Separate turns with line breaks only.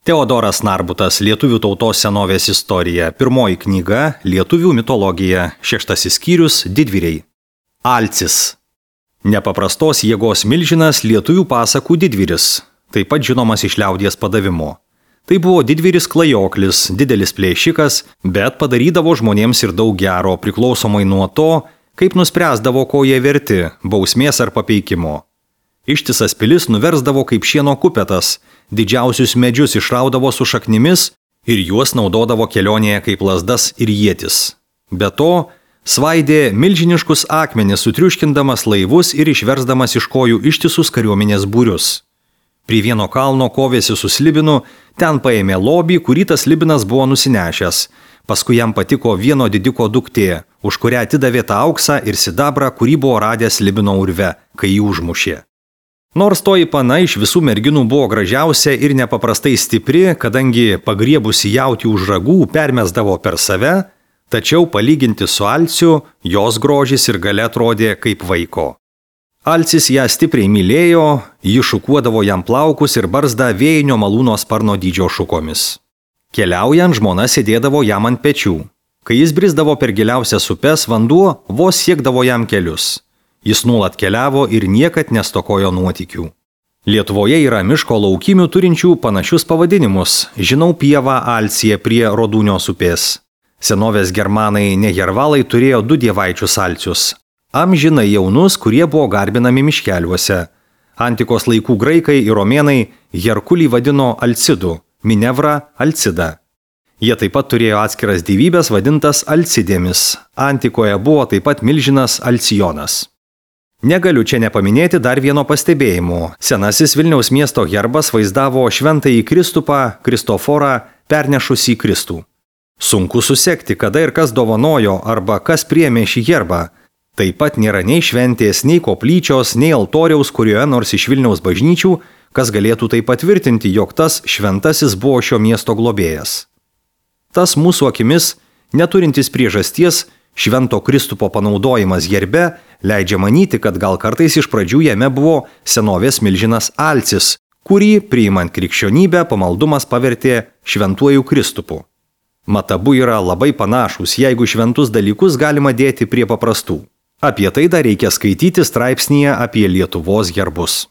Teodoras Narbutas, Lietuvių tautos senovės istorija, 1 knyga, Lietuvių mitologija, 6 skyrius, Didvyriai. Alcis. Nepaprastos jėgos milžinas lietuvių pasakų didvyris, taip pat žinomas iš liaudies padavimo. Tai buvo didvyris klajoklis, didelis plėšikas, bet padarydavo žmonėms ir daug gero, priklausomai nuo to, kaip nuspręsdavo, ko jie verti, bausmės ar papeikimo. Ištisas pilis nuversdavo kaip šieno kupetas, didžiausius medžius išraudavo su šaknimis ir juos naudodavo kelionėje kaip lazdas ir ietis. Be to, svaidė milžiniškus akmenis, sutriuškindamas laivus ir išversdamas iš kojų ištisus kariuomenės būrius. Prie vieno kalno kovėsi su slibinu, ten paėmė lobį, kurį tas slibinas buvo nusinešęs. Paskui jam patiko vieno didiko duktė, už kurią atidavė tą auksą ir sidabrą, kurį buvo radęs slibino urve, kai jį užmušė. Nors toji pana iš visų merginų buvo gražiausia ir nepaprastai stipri, kadangi pagriebusi jautį už ragų permesdavo per save, tačiau palyginti su Alciu, jos grožis ir galia atrodė kaip vaiko. Alcis ją stipriai mylėjo, ji šukuodavo jam plaukus ir barzdą vėjinio malūno sparno dydžio šukomis. Keliaujant, žmona sėdėdavo jam ant pečių. Kai jis brisdavo per giliausias upes, vanduo vos siekdavo jam kelius. Jis nuolat keliavo ir niekad nestokojo nuotykių. Lietuvoje yra miško laukimių turinčių panašius pavadinimus. Žinau pievą Alciją prie Rodūnios upės. Senovės germanai nehervalai turėjo 2 dievaičius Alcius. Amžinai jaunus, kurie buvo garbinami miškeliuose. Antikos laikų graikai ir romėnai Herkulį vadino Alcidu, Minevrą Alcidą. Jie taip pat turėjo atskiras dievybės vadintas Alcidėmis. Antikoje buvo taip pat milžinas Alcijonas. Negaliu čia nepaminėti dar vieno pastebėjimo. Senasis Vilniaus miesto herbas vaizdavo šventąjį Kristupą, Kristoforą, pernešusį Kristų. Sunku susekti, kada ir kas dovanojo arba kas priėmė šį herbą. Taip pat nėra nei šventės, nei koplyčios, nei altoriaus kurioje nors iš Vilniaus bažnyčių, kas galėtų tai patvirtinti, jog tas šventasis buvo šio miesto globėjas. Tas mūsų akimis, neturintis priežasties, švento Kristupo panaudojimas herbe leidžia manyti, kad gal kartais iš pradžių jame buvo senovės milžinas Alcis, kurį, priimant krikščionybę, pamaldumas pavertė šventuoju Kristupu. Mat abu yra labai panašūs, jeigu šventus dalykus galima dėti prie paprastų. Apie tai dar reikia skaityti straipsnyje apie Lietuvos herbus.